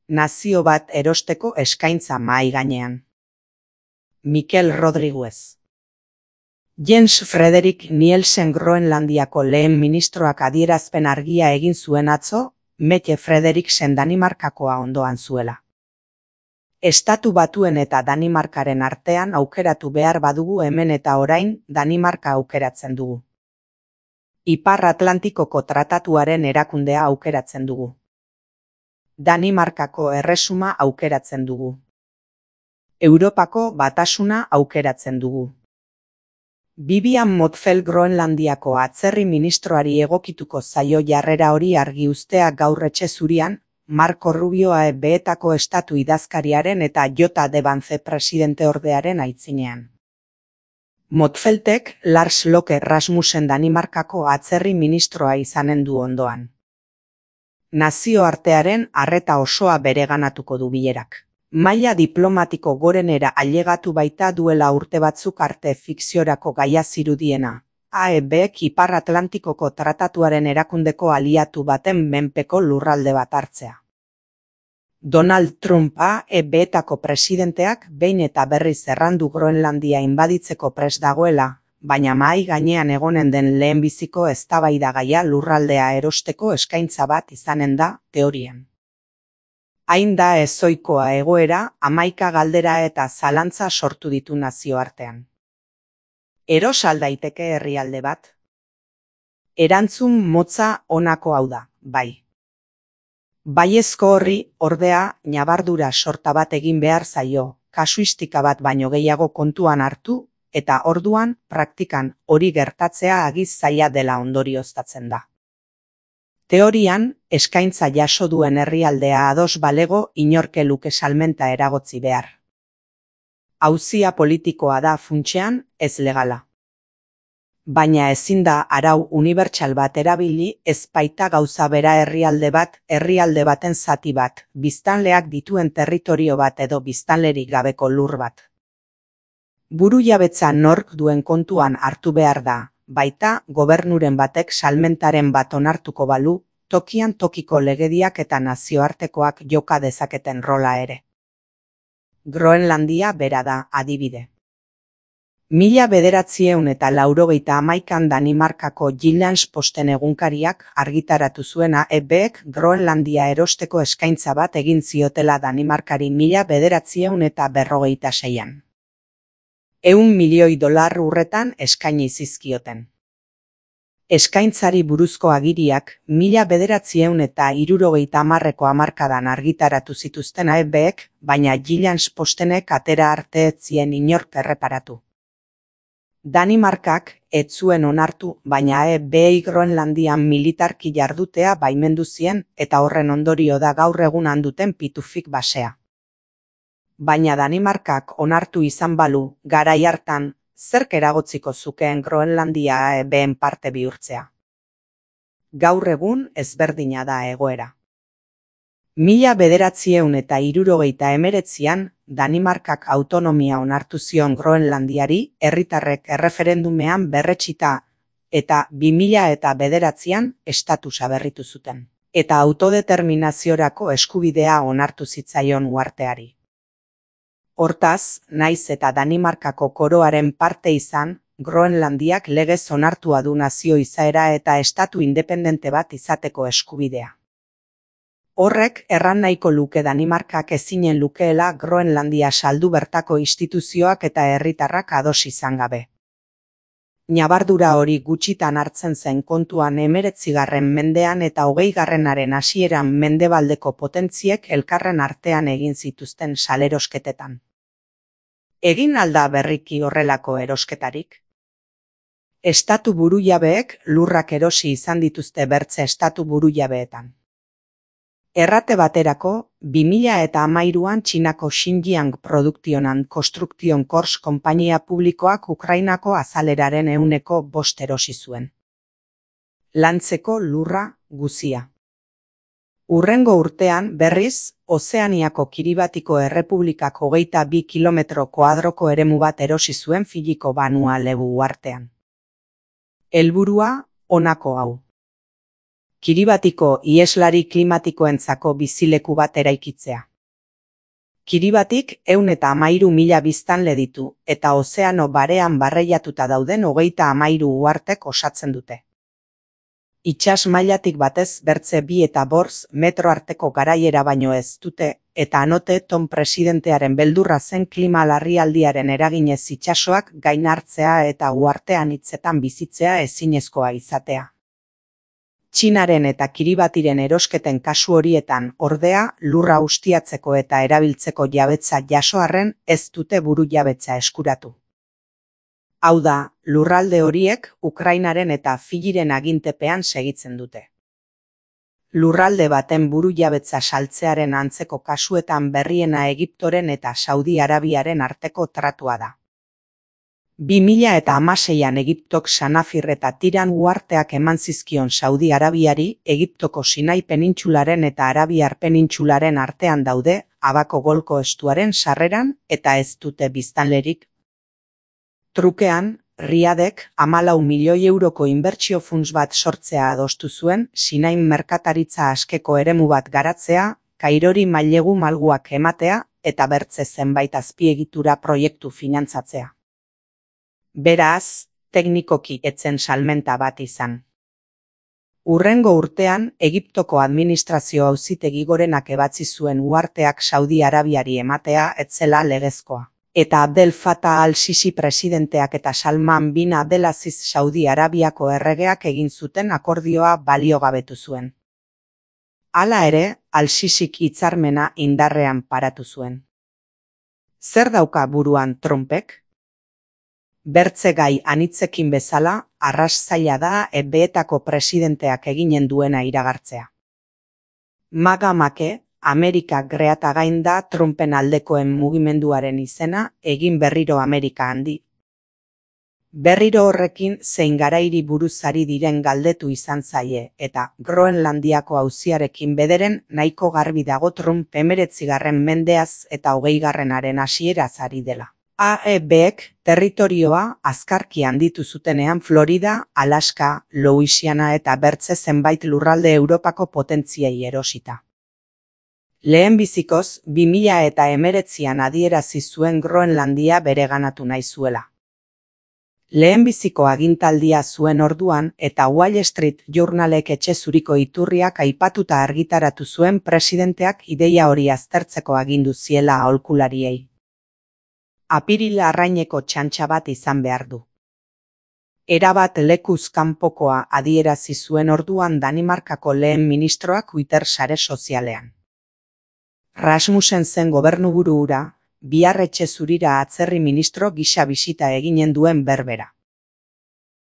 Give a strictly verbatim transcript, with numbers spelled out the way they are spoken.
nazio bat erosteko eskaintza mahai gainean. Mikel Rodriguez. Jens Frederik Nielsen Groenlandiako lehen ministroak adierazpen argia egin zuen atzo, Mette Frederiksen Danimarkakoa ondoan zuela. Estatu Batuen eta Danimarkaren artean aukeratu behar badugu hemen eta orain Danimarka aukeratzen dugu. Ipar Atlantikoko tratatuaren erakundea aukeratzen dugu. Danimarkako erresuma aukeratzen dugu. Europako batasuna aukeratzen dugu. Vivian Motzfeldt Groenlandiako atzerri ministroari egokituko zaio jarrera hori argi uztea gaur etxe zurian, Marco Rubioa E B-etako estatu idazkariaren eta Jota de Vance presidenteordearen aitzinean. Motzfeldtek Lars Løkke Rasmussen Danimarkako atzerri ministroa izanen du ondoan. Nazioartearen arreta osoa bereganatuko du bilerak. Maila diplomatiko gorenera ailegatu baita duela urte batzuk arte fikziorako gaia zirudiena. A E Bek Ipar Atlantikoko tratatuaren erakundeko aliatu baten menpeko lurralde bat hartzea. Donald Trump A E B-etako presidenteak behin eta berriz errandu Groenlandia inbaditzeko prest dagoela, baina mahai gainean egonen den lehenbiziko eztabaidagaia lurraldea erosteko eskaintza bat izanen da, teorian. Hain da ezoikoa egoera, hamaika galdera eta zalantza sortu ditu nazioartean. Eros al daiteke herrialde bat? Erantzun motza honako hau da, bai. Baiezko horri, ordea, ñabardura sorta bat egin behar zaio, kasuistika bat baino gehiago kontuan hartu, eta orduan, praktikan, hori gertatzea agiz zaila dela ondorioztatzen da. Teorian, eskaintza jaso duen herrialdea ados balego inorke luke salmenta eragotzi behar. Auzia politikoa da funtsean, ez legala. Baina ezin da arau unibertsal bat erabili, ez baita gauza bera herrialde bat, herrialde baten zati bat, biztanleak dituen territorio bat edo biztanlerik gabeko lur bat. Burujabetza nork duen kontuan hartu behar da, baita gobernuren batek salmentaren bat onartuko balu, tokian tokiko legediak eta nazioartekoak joka dezaketen rola ere. Groenlandia bera da, adibide. Mila bederatzieun eta laurogeita hamaikan Danimarkako Jyllands-Posten egunkariak argitaratu zuen A E Bek Groenlandia erosteko eskaintza bat egin ziotela Danimarkari mila bederatzieun eta berrogeita seian. Ehun milioi dolar urretan eskaini zizkioten. Eskaintzari buruzko agiriak mila bederatzieun eta hirurogeita hamarreko hamarkadan argitaratu zituzten A E Bek, baina Jyllands-Postenek atera arte ez zien inork erreparatu. Danimarkak ez zuen onartu, baina A E Bei Groenlandian militarki jardutea baimendu zien eta horren ondorio da gaur egun handuten pitufik basea. Baina Danimarkak onartu izan balu, garai hartan, zerk eragotziko zukeen Groenlandia A E Been parte bihurtzea. Gaur egun ezberdina da egoera. Mila bederatzieun eta hirurogeita hemeretzian, Danimarkak autonomia onartu zion Groenlandiari, herritarrek erreferendumean berretsita, eta bi mila eta bederatzian estatusa berritu zuten, eta autodeterminaziorako eskubidea onartu zitzaion uharteari. Hortaz, naiz eta Danimarkako koroaren parte izan, Groenlandiak legez onartua du nazio izaera eta estatu independente bat izateko eskubidea. Horrek erran nahiko luke Danimarkak ezinen lukeela Groenlandia saldu bertako instituzioak eta herritarrak ados izan gabe. Ñabardura hori gutxitan hartzen zen kontuan hemeretzigarren mendean eta hogeigarrenaren hasieran mendebaldeko potentziek elkarren artean egin zituzten salerosketetan. Egin alda berriki horrelako erosketarik? Estatu burujabeek lurrak erosi izan dituzte bertze estatu burujabeetan. Errate baterako, bi mila eta hamairuan Txinako Xinjiang Produktionen Construction Corps konpainia publikoak Ukrainako azaleraren ehuneko bost erosi zuen. Lantzeko lurra guzia. Hurrengo urtean, berriz, Ozeaniako Kiribatiko Errepublikak hogeita bi kilometro koadroko eremu bat erosi zuen Filiko Banua Lebu uhartean. Helburua, honako hau. Kiribatiko iheslari klimatikoentzako bizileku bat eraikitzea. Kiribatik ehun eta hamairu mila biztanle ditu, eta ozeano barean barreiatuta dauden hogeita hamairu uhartek osatzen dute. Itsas mailatik batez bertze bi eta bortz metro arteko garaiera baino ez dute, eta anote Tom presidentearen beldurra zen klima larrialdiaren eraginez itsasoak gain hartzea eta uhartean hitzetan bizitzea ezinezkoa izatea. Txinaren eta Kiribatiren erosketen kasu horietan, ordea, lurra ustiatzeko eta erabiltzeko jabetza jaso arren ez dute burujabetza eskuratu. Hau da, lurralde horiek Ukrainaren eta Fijiren agintepean segitzen dute. Lurralde baten burujabetza saltzearen antzeko kasuetan berriena Egiptoren eta Saudi Arabiaren arteko tratua da. bi mila eta hamaseian Egiptok Sanafir eta Tiran uharteak eman zizkion Saudi Arabiari, Egiptoko Sinai penintsularen eta Arabiar penintsularen artean daude, Abako Golko estuaren sarreran eta ez dute biztanlerik. Trukean, Riadek hamalau milioi euroko inbertsio funts bat sortzea adostu zuen, Sinain merkataritza askeko eremu bat garatzea, Kairori mailegu malguak ematea eta bertze zenbait azpiegitura proiektu finantzatzea. Beraz, teknikoki etzen salmenta bat izan. Hurrengo urtean, Egiptoko administrazio auzitegi gorenak ebatzi zuen uharteak Saudi Arabiari ematea ez zela legezkoa. Eta Abdel Fattah al-Sisi presidenteak eta Salman bin Abdelaziz Saudi Arabiako erregeak egin zuten akordioa baliogabetu zuen. Hala ere, al-Sisik hitzarmena indarrean paratu zuen. Zer dauka buruan Trumpek? Bertze gai anitzekin bezala, arras zaila da E B-etako presidenteak eginen duena iragartzea. Maga make, Amerika greata gain da Trumpen aldekoen mugimenduaren izena, egin berriro Amerika handi. Berriro horrekin zein garairi buruz ari diren galdetu izan zaie, eta Groenlandiako auziarekin bederen nahiko garbi dago Trump hemeretzigarren mendeaz eta hogeigarrenaren hasieraz ari dela. A E Bek territorioa azkarki handitu zutenean Florida, Alaska, Louisiana eta bertze zenbait lurralde Europako potentziei erosita. Lehenbizikoz, bi mila eta hemeretzian adierazi zuen Groenlandia bereganatu nahi zuela. Lehenbiziko agintaldia zuen orduan eta Wall Street Journalek etxe zuriko iturriak aipatuta argitaratu zuen presidenteak ideia hori aztertzeko agindu ziela aholkulariei. Apirila arraineko txantxa bat izan behar du. Erabat lekuz kanpokoa adierazi zuen orduan Danimarkako lehen ministroak Twitter sare sozialean. Rasmussen zen gobernuburu hura, bihar etxe zurira atzerri ministro gisa bisita eginen duen berbera.